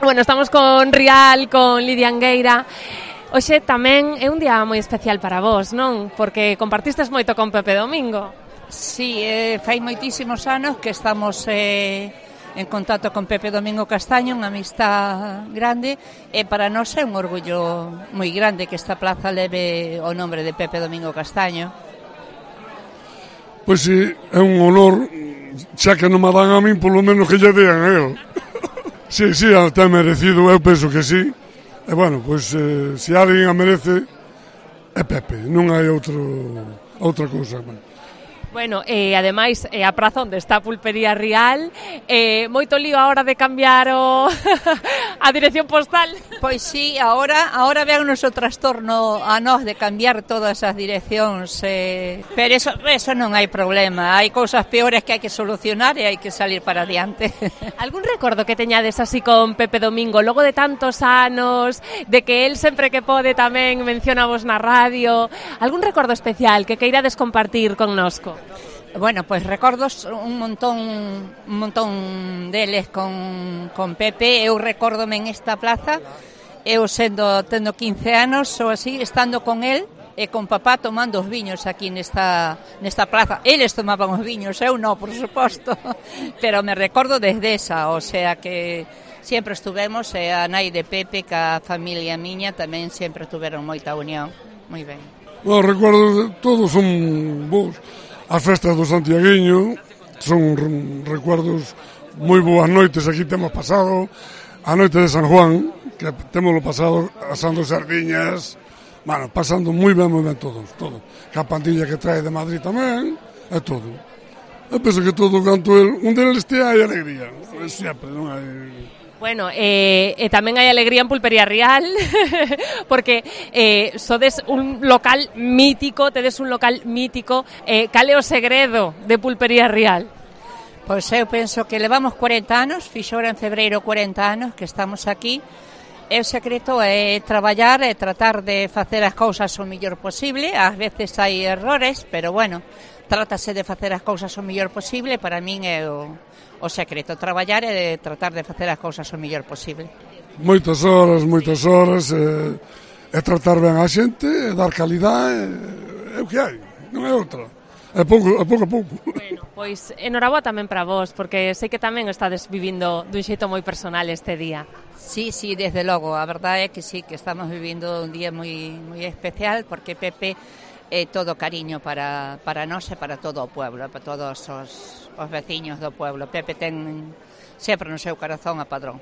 Bueno, estamos con Rial, con Lidia Angueira. Hoxe tamén é un día moi especial para vos, non? Porque compartistes moito con Pepe Domingo. Sí, fai moitísimos anos que estamos en contacto con Pepe Domingo Castaño, unha amistad grande, e para nós é un orgullo moi grande que esta plaza leve o nombre de Pepe Domingo Castaño. Pois sí, é un honor, xa que non me dan a min, polo menos que lle dean a él. Sí, está merecido, eu penso que sí. E bueno, pois se alguén a merece é Pepe, non hai outra cousa. Bueno, ademais, a praza onde está a Pulpería Rial, moito lío a hora de cambiar a dirección postal. Pois sí, ahora véannos o trastorno a nós de cambiar todas as direccións, pero eso non hai problema, hai cousas peores que hai que solucionar e hai que salir para adiante. Algún recordo que teñades así con Pepe Domingo, logo de tantos anos, de que él sempre que pode tamén menciona vos na radio, algún recordo especial que queirades compartir connosco? Bueno, pois recordos un montón deles con Pepe. Eu recórdome en esta plaza, eu tendo 15 anos ou así, estando con él e con papá tomando os viños aquí nesta plaza. Eles tomaban os viños, eu non, por suposto, pero me recordo desde esa, o sea que sempre estuvemos, e a nai de Pepe, ca familia miña, tamén sempre tuveron moita unión. Moi ben. Os recordos todos son bons. As festas do Santiaguiño son recuerdos moi boas noites. Aquí temos pasado a noite de San Juan, que temos pasado asando sardiñas, bueno, pasando moi ben todos. Que a pandilla que trae de Madrid tamén, é todo. Eu penso que todo canto un deles este hai alegría, sempre, non hai... Bueno, tamén hai alegría en Pulpería Rial, porque sodes un local mítico, tedes un local mítico. Cal é o segredo de Pulpería Rial? Pois eu penso que levamos 40 anos, fixo en febreiro 40 anos que estamos aquí, e o secreto é traballar e tratar de facer as cousas o mellor posible. Ás veces hai errores, pero bueno, trátase de facer as cousas o mellor posible. Para min é o secreto, traballar e tratar de facer as cousas o mellor posible. Moitas horas, e tratar ben a xente, e dar calidade, é o que hai, non é outra. É pouco a pouco. Bueno, pois enhoraboa tamén para vos, porque sei que tamén estades vivindo dun xeito moi personal este día. Sí, desde logo, a verdade é que sí, que estamos vivindo un día moi especial, porque Pepe é todo cariño para nós e para todo o pueblo, para todos os veciños do pueblo. Pepe ten sempre no seu corazón a Padrón.